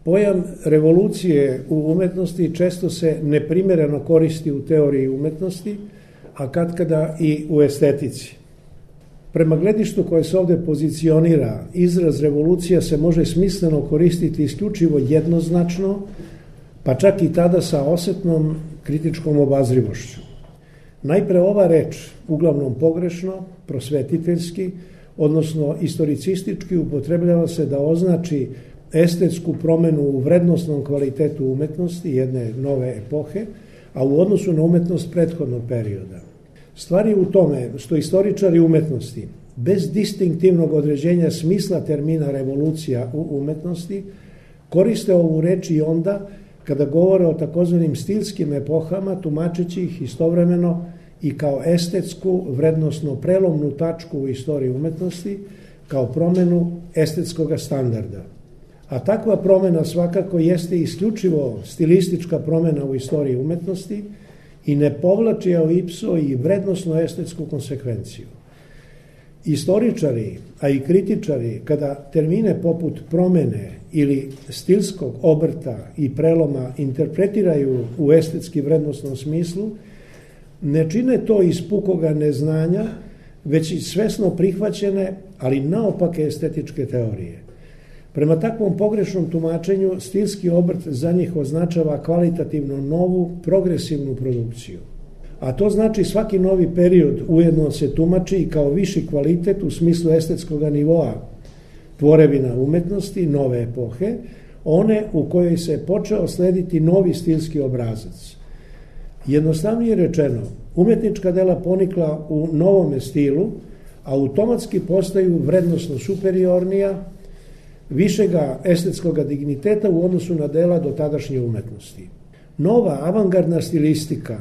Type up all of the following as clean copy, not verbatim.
Pojam revolucije u umetnosti često se neprimereno koristi u teoriji umetnosti, a katkada i u estetici. Prema gledištu koje se ovde pozicionira, izraz revolucija se može smisleno koristiti isključivo jednoznačno, pa čak i tada sa osetnom kritičkom obazrivošću. Najpre ova reč, uglavnom pogrešno, prosvetiteljski, odnosno istoricistički, upotrebljava se da označi estetsku promenu u vrednosnom kvalitetu umetnosti jedne nove epohe, a u odnosu na umetnost prethodnog perioda. Stvar je u tome što istoričari umetnosti, bez distinktivnog određenja smisla termina revolucija u umetnosti, koriste ovu reč i onda kada govore o takozvanim stilskim epohama, tumačeći ih istovremeno i kao estetsku, vrednosno prelomnu tačku u istoriji umetnosti, kao promenu estetskog standarda. A takva promena svakako jeste isključivo stilistička promena u istoriji umetnosti i ne povlači ao ipso i vrednosno estetsku konsekvenciju. Istoričari, a i kritičari, kada termine poput promene ili stilskog obrta i preloma interpretiraju u estetski vrednosnom smislu, ne čine to iz pukoga neznanja, već i svesno prihvaćene, ali naopake estetičke teorije. Prema takvom pogrešnom tumačenju, stilski obrt za njih označava kvalitativno novu, progresivnu produkciju. A to znači svaki novi period ujedno se tumači i kao viši kvalitet u smislu estetskog nivoa tvorevina umetnosti, nove epohe, one u kojoj se počeo slediti novi stilski obrazac. Jednostavnije rečeno, umetnička dela ponikla u novome stilu, automatski postaju vrednosno superiornija, višega estetskog digniteta u odnosu na dela do tadašnje umetnosti. Nova avangardna stilistika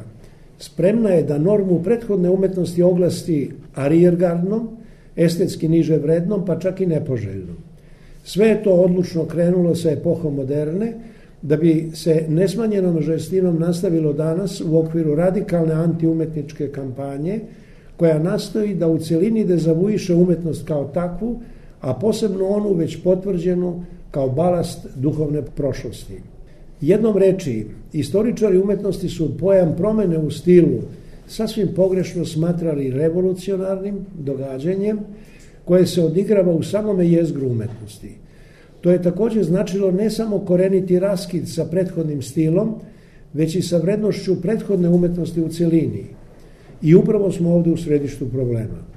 spremna je da normu prethodne umetnosti oglasti arijergardnom, estetski niže vrednom, pa čak i nepoželjnom. Sve je to odlučno krenulo sa epohom moderne, da bi se nesmanjenom žestinom nastavilo danas u okviru radikalne antiumetničke kampanje, koja nastoji da u celini dezavuiše umetnost kao takvu, a posebno onu već potvrđenu kao balast duhovne prošlosti. Jednom reči, istoričari umetnosti su pojam promene u stilu sasvim pogrešno smatrali revolucionarnim događanjem koje se odigrava u samome jezgru umetnosti. To je također značilo ne samo koreniti raskid sa prethodnim stilom, već i sa vrednošću prethodne umetnosti u celini. I upravo smo ovde u središtu problema.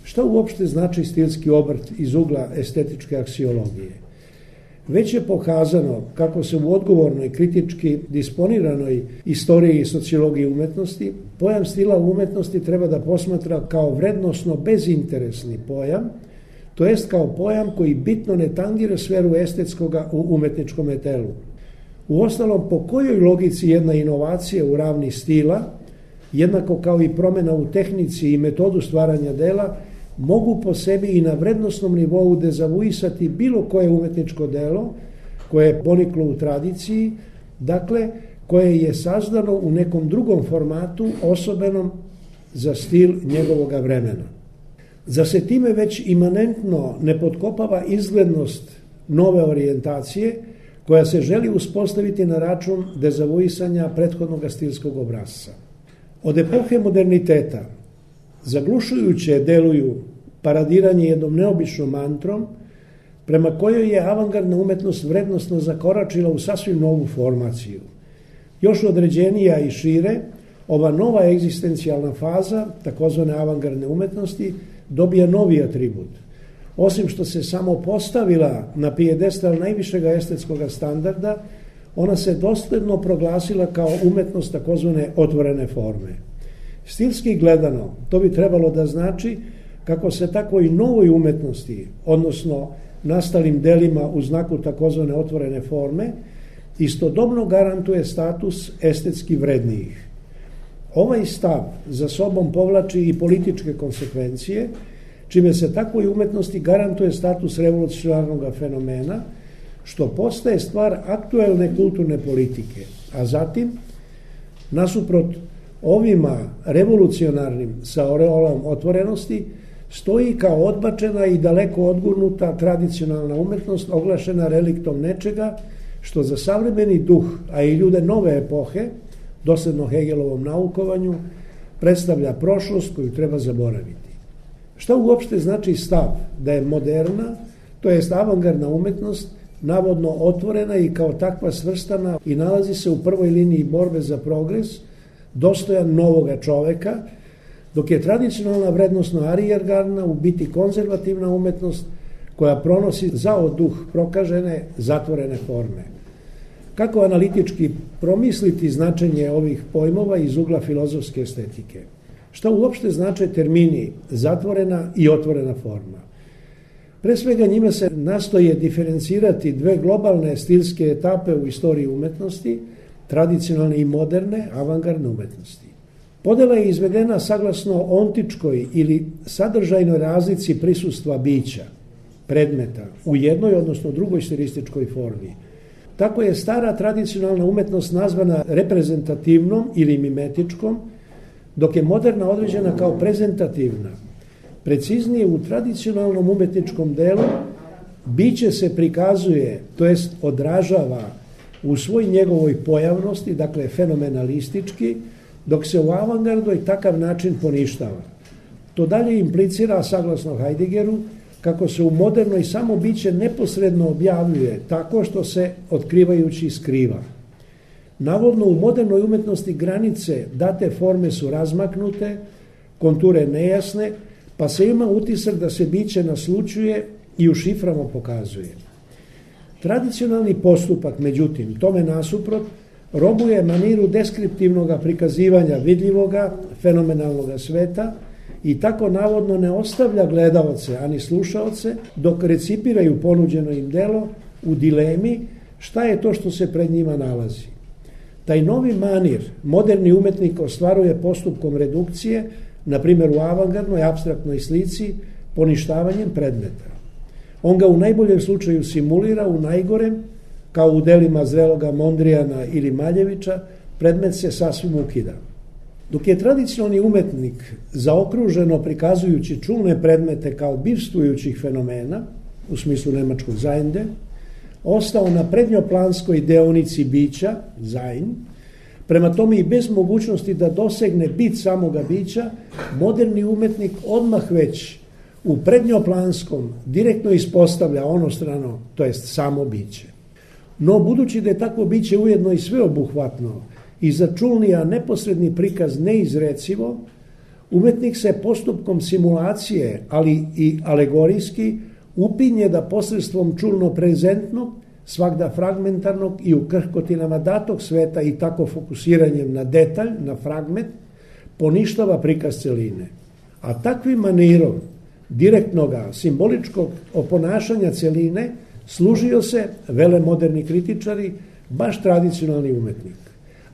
Šta uopšte znači stilski obrt iz ugla estetičke aksiologije? Već je pokazano kako se u odgovornoj, kritički disponiranoj istoriji i sociologiji umetnosti pojam stila umetnosti treba da posmatra kao vrednosno bezinteresni pojam, to jest kao pojam koji bitno ne tangira sferu estetskoga u umetničkom telu. Uostalom, po kojoj logici jedna inovacija u ravni stila, jednako kao i promena u tehnici i metodu stvaranja dela, mogu po sebi i na vrednosnom nivou dezavuisati bilo koje umetničko delo koje je poniklo u tradiciji, dakle koje je sazdano u nekom drugom formatu osobenom za stil njegovoga vremena. Zar se time već imanentno ne potkopava izglednost nove orijentacije koja se želi uspostaviti na račun dezavuisanja prethodnog stilskog obrasca? Od epohe moderniteta zaglušujuće deluju paradiranje jednom neobičnom mantrom prema kojoj je avangardna umetnost vrednosno zakoračila u sasvim novu formaciju. Još određenija i šire, ova nova egzistencijalna faza, takozvane avangardne umetnosti, dobija novi atribut. Osim što se samo postavila na pijedestal najvišeg estetskog standarda, ona se dosledno proglasila kao umetnost takozvane otvorene forme. Stilski gledano, to bi trebalo da znači kako se takvoj novoj umetnosti, odnosno nastalim delima u znaku takozvane otvorene forme, istodobno garantuje status estetski vrednijih. Ovaj stav za sobom povlači i političke konsekvencije, čime se takvoj umetnosti garantuje status revolucionarnog fenomena, što postaje stvar aktuelne kulturne politike, a zatim, nasuprot ovima revolucionarnim sa oreolom otvorenosti, stoji kao odbačena i daleko odgurnuta tradicionalna umetnost oglašena reliktom nečega što za savremeni duh, a i ljude nove epohe, dosledno Hegelovom naukovanju, predstavlja prošlost koju treba zaboraviti. Šta uopšte znači stav da je moderna, to jest avangardna umetnost, navodno otvorena i kao takva svrstana i nalazi se u prvoj liniji borbe za progres, dostojan novoga čoveka, dok je tradicionalna vrednostno arijergardna u biti konzervativna umetnost koja pronosi zao duh prokažene, zatvorene forme. Kako analitički promisliti značenje ovih pojmova iz ugla filozofske estetike? Šta uopšte znače termini zatvorena i otvorena forma? Pre svega njima se nastoje diferencirati dve globalne stilske etape u istoriji umetnosti, tradicionalne i moderne, avangardne umetnosti. Podela je izvedena saglasno ontičkoj ili sadržajnoj razlici prisustva bića, predmeta, u jednoj, odnosno drugoj stilističkoj formi. Tako je stara tradicionalna umetnost nazvana reprezentativnom ili mimetičkom, dok je moderna određena kao prezentativna. Preciznije, u tradicionalnom umetničkom delu biće se prikazuje, to jest odražava u svoj njegovoj pojavnosti, dakle fenomenalistički, dok se u avangardoj takav način poništava. To dalje implicira, saglasno Heideggeru, kako se u modernoj samo biće neposredno objavljuje tako što se otkrivajući skriva. Navodno u modernoj umetnosti granice date forme su razmaknute, konture nejasne, pa se ima utisak da se biće naslučuje i u šiframa pokazuje. Tradicionalni postupak, međutim, tome nasuprot, robuje maniru deskriptivnog prikazivanja vidljivoga, fenomenalnog sveta i tako navodno ne ostavlja gledaoce, ani slušaoce, dok recipiraju ponuđeno im delo u dilemi šta je to što se pred njima nalazi. Taj novi manir moderni umetnik ostvaruje postupkom redukcije, na primjer u avangardnoj apstraktnoj slici, poništavanjem predmeta. On ga u najboljem slučaju simulira, u najgorem, kao u delima zreloga Mondrijana ili Maljevića, predmet se sasvim ukida. Dok je tradicionalni umetnik, zaokruženo prikazujući čulne predmete kao bivstvujućih fenomena, u smislu nemačkog Zajnde, ostao na prednjoplanskoj deonici bića, Sein, prema tome i bez mogućnosti da dosegne bit samoga bića, moderni umetnik odmah već u prednjoplanskom direktno ispostavlja onostrano, to jest samo biće. No, budući da je takvo biće ujedno i sveobuhvatno i za čulni, a neposredni prikaz neizrecivo, umetnik se postupkom simulacije, ali i alegorijski, upinje da posredstvom čulno-prezentnog, svakda fragmentarnog i u krhkotinama datog sveta i tako fokusiranjem na detalj, na fragment, poništava prikaz celine. A takvim manirom direktnoga, simboličkog oponašanja celine služio se, vele moderni kritičari, baš tradicionalni umetnik.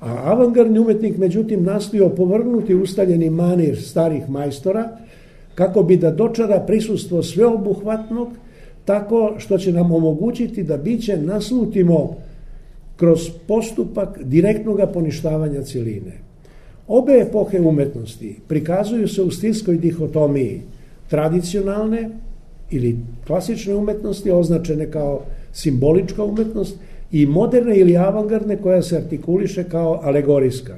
A avangardni umetnik, međutim, nastojao opovrgnuti ustaljeni manir starih majstora, kako bi da dočara prisustvo sveobuhvatnog, tako što će nam omogućiti da biće naslutimo kroz postupak direktnog poništavanja celine. Obe epohe umetnosti prikazuju se u stilskoj dihotomiji tradicionalne ili klasične umetnosti, označene kao simbolička umetnost, i moderne ili avangardne koja se artikuliše kao alegorijska.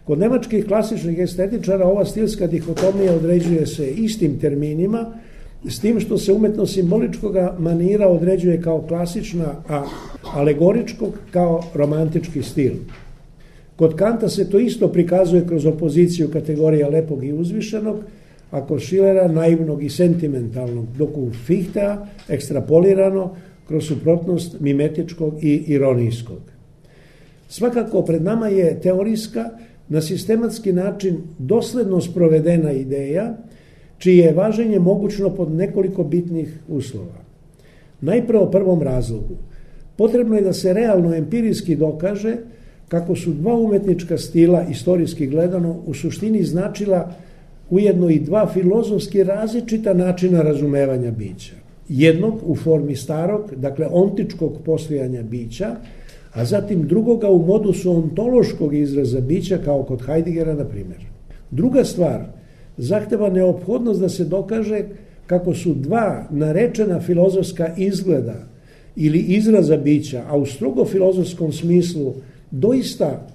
Kod nemačkih klasičnih estetičara ova stilska dihotomija određuje se istim terminima, s tim što se umetnost simboličkog manira određuje kao klasična, a alegoričkog kao romantički stil. Kod Kanta se to isto prikazuje kroz opoziciju kategorija lepog i uzvišenog, a kod Schillera naivnog i sentimentalnog, dok u Fichtea ekstrapolirano kroz suprotnost mimetičkog i ironijskog. Svakako pred nama je teorijska, na sistematski način dosledno sprovedena ideja, čije je važenje mogućno pod nekoliko bitnih uslova. Najpre o prvom razlogu. Potrebno je da se realno empirijski dokaže kako su dva umetnička stila, istorijski gledano, u suštini značila ujedno i dva filozofski različita načina razumevanja bića. Jednog u formi starog, dakle ontičkog postojanja bića, a zatim drugoga u modusu ontološkog izraza bića, kao kod Heideggera, na primjer. Druga stvar, zahteva neophodnost da se dokaže kako su dva narečena filozofska izgleda ili izraza bića, a u strogo filozofskom smislu doista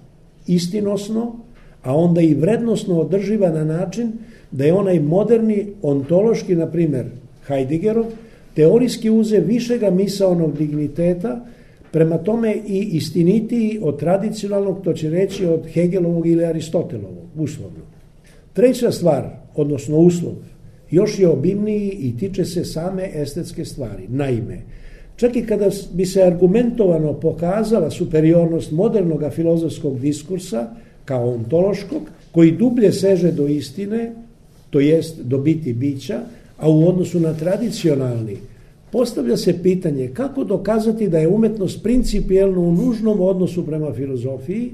istinosno, a onda i vrednosno održiva na način da je onaj moderni ontološki, na primjer Heideggerov, teorijski uze višega misaonog digniteta, prema tome i istinitiji od tradicionalnog, to će reći od Hegelovog ili Aristotelovog, uslovno. Treća stvar, odnosno uslov, još je obimniji i tiče se same estetske stvari. Naime, čak i kada bi se argumentovano pokazala superiornost modernog filozofskog diskursa kao ontološkog, koji dublje seže do istine, to jest do biti bića, a u odnosu na tradicionalni, postavlja se pitanje kako dokazati da je umetnost principijelno u nužnom odnosu prema filozofiji,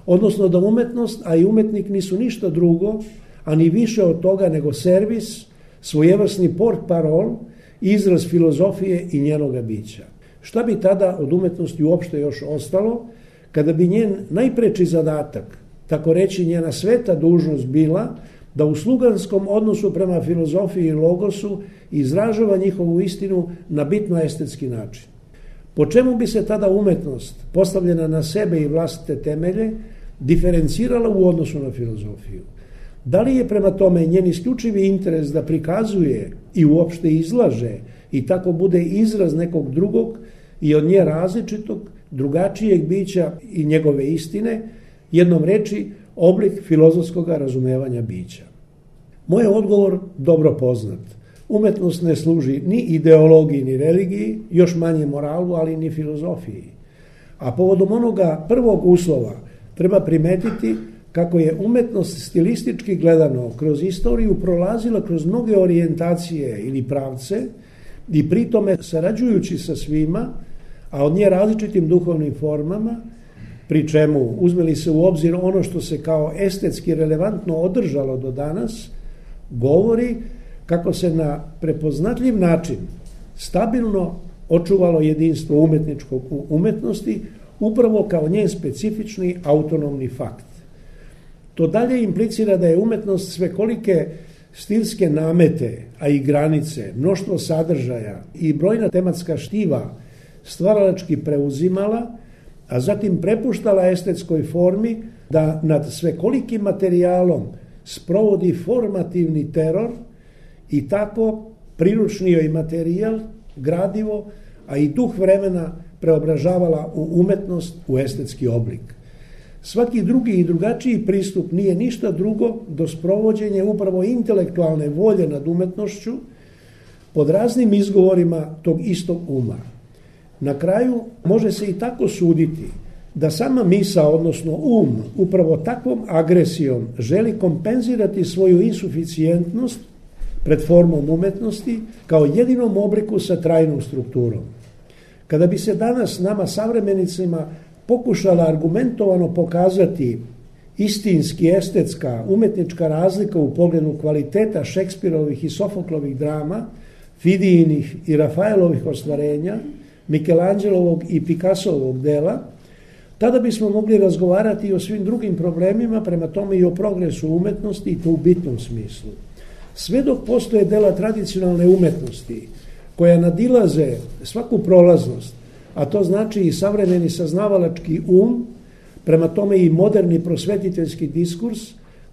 odnosno da umetnost, a i umetnik nisu ništa drugo, a ni više od toga nego servis, svojevrsni port parol, izraz filozofije i njenoga bića. Šta bi tada od umetnosti uopšte još ostalo, kada bi njen najpreči zadatak, tako reći njena sveta dužnost bila, da u sluganskom odnosu prema filozofiji i logosu izražava njihovu istinu na bitno estetski način. Po čemu bi se tada umetnost, postavljena na sebe i vlastite temelje, diferencirala u odnosu na filozofiju? Da li je prema tome njen isključivi interes da prikazuje i uopšte izlaže i tako bude izraz nekog drugog i od nje različitog, drugačijeg bića i njegove istine, jednom reči oblik filozofskog razumevanja bića? Moj je odgovor dobro poznat. Umetnost ne služi ni ideologiji ni religiji, još manje moralu, ali ni filozofiji. A povodom onoga prvog uslova treba primetiti kako je umetnost stilistički gledano kroz istoriju prolazila kroz mnoge orijentacije ili pravce i pritome sarađujući sa svima, a od nje različitim duhovnim formama, pri čemu uzmeli se u obzir ono što se kao estetski relevantno održalo do danas, govori kako se na prepoznatljiv način stabilno očuvalo jedinstvo umetničkog u umetnosti upravo kao njen specifični autonomni fakt. To dalje implicira da je umetnost svekolike stilske namete, a i granice, mnoštvo sadržaja i brojna tematska štiva stvaralački preuzimala, a zatim prepuštala estetskoj formi da nad svekolikim materijalom sprovodi formativni teror i tako priručni joj materijal, gradivo, a i duh vremena preobražavala u umetnost, u estetski oblik. Svaki drugi i drugačiji pristup nije ništa drugo do sprovođenja upravo intelektualne volje nad umetnošću pod raznim izgovorima tog istog uma. Na kraju može se i tako suditi da sama misao, odnosno upravo takvom agresijom želi kompenzirati svoju insuficijentnost pred formom umetnosti kao jedinom obliku sa trajnom strukturom. Kada bi se danas nama savremenicima pokušala argumentovano pokazati istinski estetska, umetnička razlika u pogledu kvaliteta Šekspirovih i Sofoklovih drama, Fidijinih i Rafaelovih ostvarenja, Mikelanđelovog i Picassovog dela, tada bismo mogli razgovarati i o svim drugim problemima, prema tome i o progresu umetnosti i to u bitnom smislu. Sve dok postoje dela tradicionalne umetnosti koja nadilaze svaku prolaznost, a to znači i savremeni saznavalački prema tome i moderni prosvetiteljski diskurs,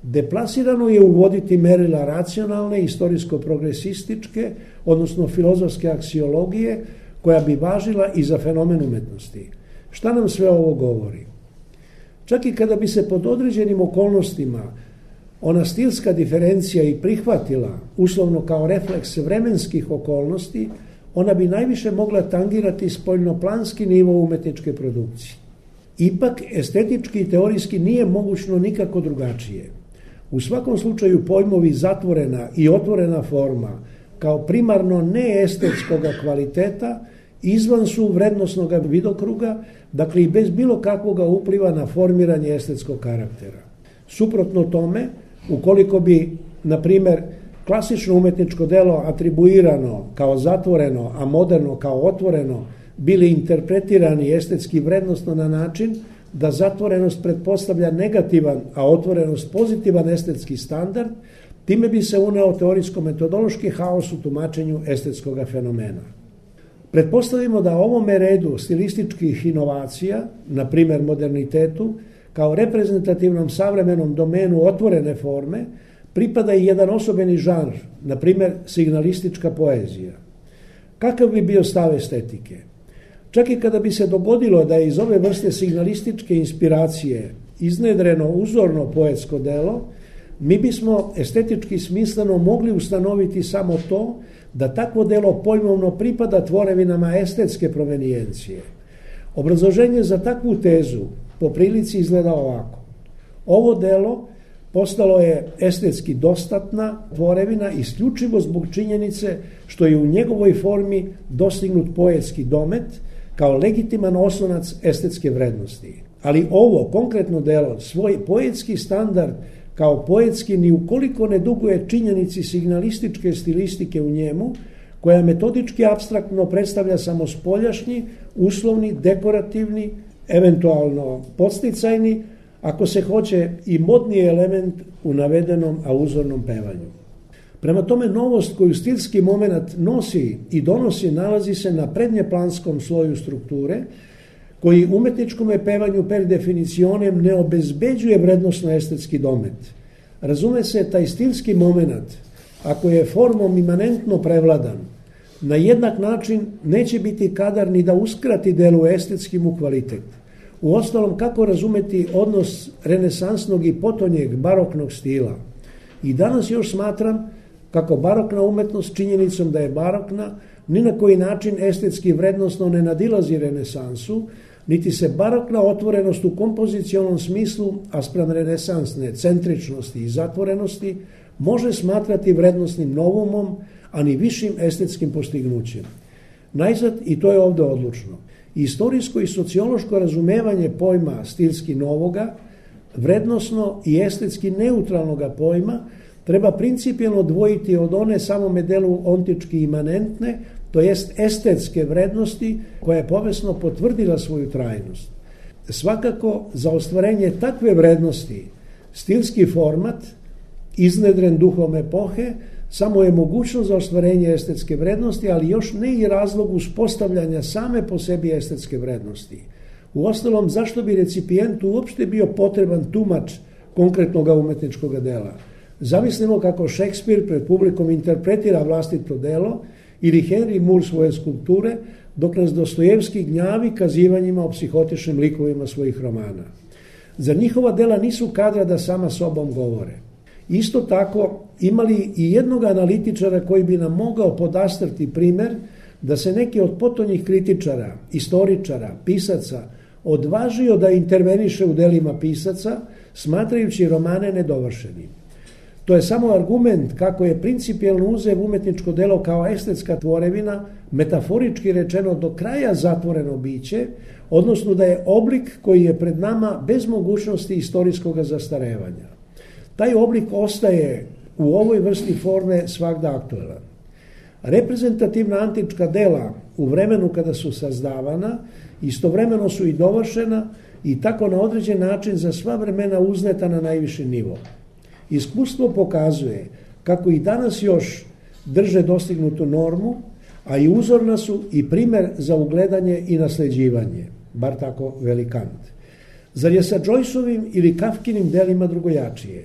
deplasirano je uvoditi merila racionalne, istorijsko-progresističke, odnosno filozofske aksiologije, koja bi važila i za fenomen umetnosti. Šta nam sve ovo govori? Čak i kada bi se pod određenim okolnostima ona stilska diferencija i prihvatila, uslovno kao refleks vremenskih okolnosti, ona bi najviše mogla tangirati spoljnoplanski nivo umetničke produkcije. Ipak, estetički i teorijski nije mogućno nikako drugačije. U svakom slučaju pojmovi zatvorena i otvorena forma, kao primarno neestetskoga kvaliteta, izvan su vrednosnog vidokruga, dakle i bez bilo kakvog upliva na formiranje estetskog karaktera. Suprotno tome, ukoliko bi, na primjer, klasično umetničko delo atribuirano kao zatvoreno, a moderno kao otvoreno, bili interpretirani estetski vrednostno na način da zatvorenost pretpostavlja negativan, a otvorenost pozitivan estetski standard, time bi se uneo teorijsko-metodološki haos u tumačenju estetskog fenomena. Pretpostavimo da ovome redu stilističkih inovacija, na primjer modernitetu, kao reprezentativnom savremenom domenu otvorene forme, pripada i jedan osobeni žanr, na primjer signalistička poezija. Kakav bi bio stav estetike? Čak i kada bi se dogodilo da je iz ove vrste signalističke inspiracije iznedreno uzorno poetsko delo, mi bismo estetički smisleno mogli ustanoviti samo to da takvo delo pojmovno pripada tvorevinama estetske provenijencije. Obrazloženje za takvu tezu po prilici izgleda ovako. Ovo delo postalo je estetski dostatna tvorevina isključivo zbog činjenice što je u njegovoj formi dostignut poetski domet kao legitiman oslonac estetske vrednosti. Ali ovo konkretno delo, svoj poetski standard kao poetski ni ukoliko ne duguje činjenici signalističke stilistike u njemu, koja metodički apstraktno predstavlja samo spoljašnji, uslovni, dekorativni, eventualno podsticajni, ako se hoće i modni element u navedenom, a uzornom pevanju. Prema tome, novost koju stilski moment nosi i donosi nalazi se na prednjeplanskom sloju strukture, koji umetničkom pevanju per definicionem ne obezbeđuje vrednosno estetski domet. Razume se, taj stilski moment, ako je formom imanentno prevladan, na jednak način neće biti kadar ni da uskrati delu estetski mu kvalitet. Uostalom, kako razumeti odnos renesansnog i potonjeg baroknog stila? I danas još smatram kako barokna umetnost činjenicom da je barokna ni na koji način estetski vrednosno ne nadilazi renesansu, niti se barokna otvorenost u kompozicionalnom smislu, a spram renesansne centričnosti i zatvorenosti, može smatrati vrednosnim novumom, a ni višim estetskim postignućem. Najzad, i to je ovde odlučno, istorijsko i sociološko razumevanje pojma stilski novoga, vrednosno i estetski neutralnoga pojma, treba principijelno odvojiti od one samome delu ontički imanentne, to jest estetske vrednosti koja je povesno potvrdila svoju trajnost. Svakako, za ostvarenje takve vrednosti, stilski format, iznedren duhom epohe, samo je mogućnost za ostvarenje estetske vrednosti, ali još ne i razlog uspostavljanja same po sebi estetske vrednosti. Uostalom, zašto bi recipijentu uopšte bio potreban tumač konkretnog umetničkog dela? Zamislimo kako Šekspir pred publikom interpretira vlastito delo ili Henry Moore svoje skulpture, dok nas Dostojevski gnjavi kazivanjima o psihotičnim likovima svojih romana. Zar njihova dela nisu kadra da sama sobom govore? Isto tako, imali i jednog analitičara koji bi nam mogao podastrti primer da se neki od potonjih kritičara, istoričara, pisaca odvažio da interveniše u delima pisaca, smatrajući romane nedovršenim. To je samo argument kako je principijelno uzev umetničko delo kao estetska tvorevina, metaforički rečeno do kraja zatvoreno biće, odnosno da je oblik koji je pred nama bez mogućnosti istorijskog zastarevanja. Taj oblik ostaje u ovoj vrsti forme svagda aktuelan. Reprezentativna antička dela u vremenu kada su sazdavana, istovremeno su i dovršena i tako na određen način za sva vremena uzneta na najviši nivo. Iskustvo pokazuje kako i danas još drže dostignutu normu, a i uzorna su i primer za ugledanje i nasleđivanje, bar tako veli Kant. Zar je sa Joyceovim ili Kafkinim delima drugojačije?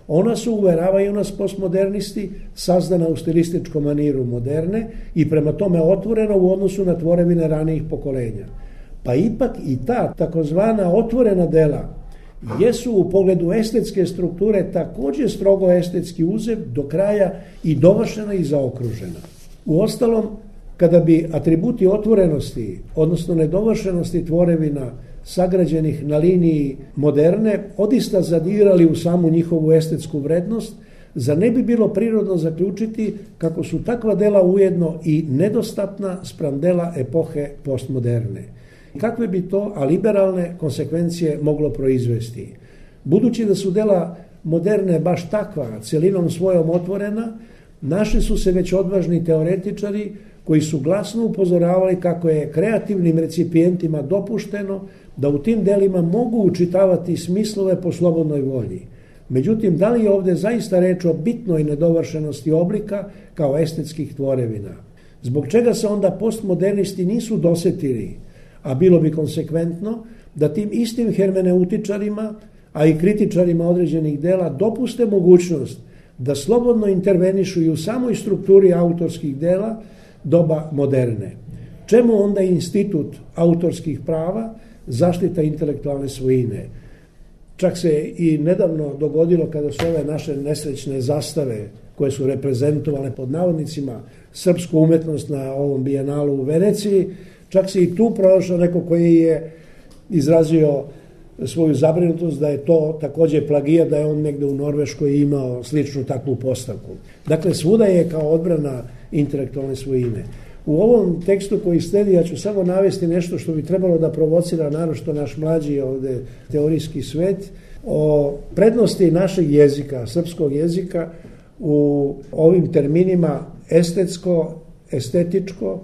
Ona su, uveravaju nas postmodernisti, sazdana u stilističkom maniru moderne i prema tome otvorena u odnosu na tvorevine ranijih pokolenja. Pa ipak i ta takozvana otvorena dela jesu u pogledu estetske strukture također strogo estetski uzev, do kraja i dovršena i zaokružena. Uostalom, kada bi atributi otvorenosti, odnosno nedovršenosti tvorevina sagrađenih na liniji moderne, odista zadirali u samu njihovu estetsku vrednost, zar ne bi bilo prirodno zaključiti kako su takva dela ujedno i nedostatna spram dela epohe postmoderne? Kakve bi to aliberalne konsekvencije moglo proizvesti? Budući da su dela moderne baš takva, cjelinom svojom otvorena, našli su se već odvažni teoretičari koji su glasno upozoravali kako je kreativnim recipijentima dopušteno da u tim delima mogu učitavati smislove po slobodnoj volji. Međutim, da li je ovdje zaista reč o bitnoj nedovršenosti oblika kao estetskih tvorevina? Zbog čega se onda postmodernisti nisu dosetili, a bilo bi konsekventno, da tim istim hermeneutičarima, a i kritičarima određenih dela dopuste mogućnost da slobodno intervenišu i u samoj strukturi autorskih dela doba moderne. Čemu onda institut autorskih prava, zaštita intelektualne svojine? Čak se i nedavno dogodilo kada su ove naše nesrećne zastave koje su reprezentovale pod navodnicima srpsku umetnost na ovom bijenalu u Veneciji, čak se i tu pronašao neko koji je izrazio svoju zabrinutost da je to također plagijat, da je on negde u Norveškoj imao sličnu takvu postavku. Dakle, svuda je kao odbrana intelektualne svojine. U ovom tekstu koji sledi ja ću samo navesti nešto što bi trebalo da provocira naročito naš mlađi ovde teorijski svet, o prednosti našeg jezika, srpskog jezika u ovim terminima estetsko, estetičko,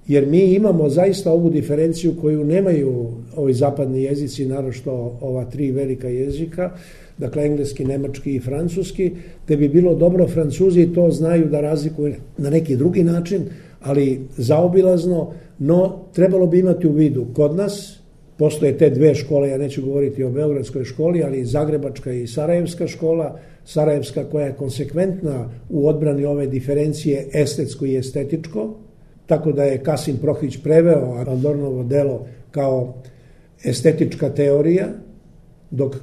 jer mi imamo zaista ovu diferenciju koju nemaju ovi zapadni jezici, naročito ova tri velika jezika, dakle engleski, nemački i francuski, te bi bilo dobro, Francuzi to znaju da razlikuju na neki drugi način, ali zaobilazno, no trebalo bi imati u vidu kod nas, postoje te dve škole, ja neću govoriti o Beogradskoj školi, ali Zagrebačka i Sarajevska škola, Sarajevska koja je konsekventna u odbrani ove diferencije estetsko i estetičko, tako da je Kasim Prohić preveo Adornovo delo kao estetička teorija, dok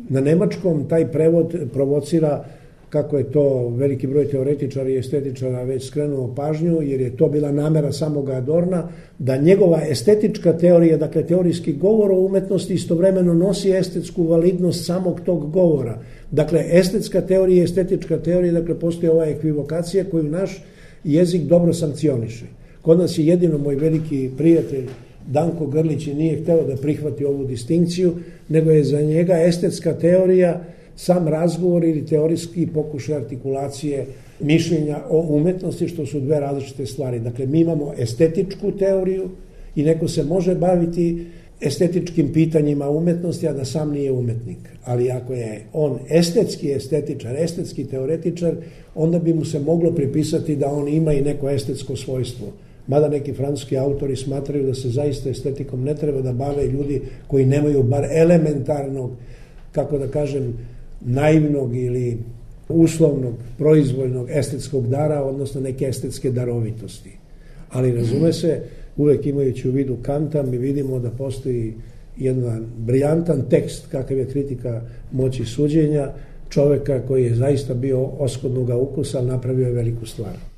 na nemačkom taj prevod provocira, kako je to veliki broj teoretičara i estetičara već skrenuo pažnju, jer je to bila namera samoga Adorna, da njegova estetička teorija, dakle teorijski govor o umetnosti, istovremeno nosi estetsku validnost samog tog govora. Dakle, estetska teorija i estetička teorija, dakle postoji ova ekvivokacija koju naš jezik dobro sankcioniše. Kod nas je jedino moj veliki prijatelj Danko Grlić i nije hteo da prihvati ovu distinkciju, nego je za njega estetska teorija sam razgovor ili teorijski pokušaj artikulacije mišljenja o umetnosti, što su dve različite stvari. Dakle, mi imamo estetičku teoriju i neko se može baviti estetičkim pitanjima umetnosti, a da sam nije umetnik. Ali ako je on estetski estetičar, estetski teoretičar, onda bi mu se moglo pripisati da on ima i neko estetsko svojstvo. Mada neki francuski autori smatraju da se zaista estetikom ne treba da bave ljudi koji nemaju bar elementarnog, kako da kažem, naivnog ili uslovnog, proizvoljnog estetskog dara, odnosno neke estetske darovitosti. Ali razume se, uvek imajući u vidu Kanta, mi vidimo da postoji jedan briljantan tekst, kakav je kritika moći suđenja, čoveka koji je zaista bio oskodnoga ukusa, napravio je veliku stvar.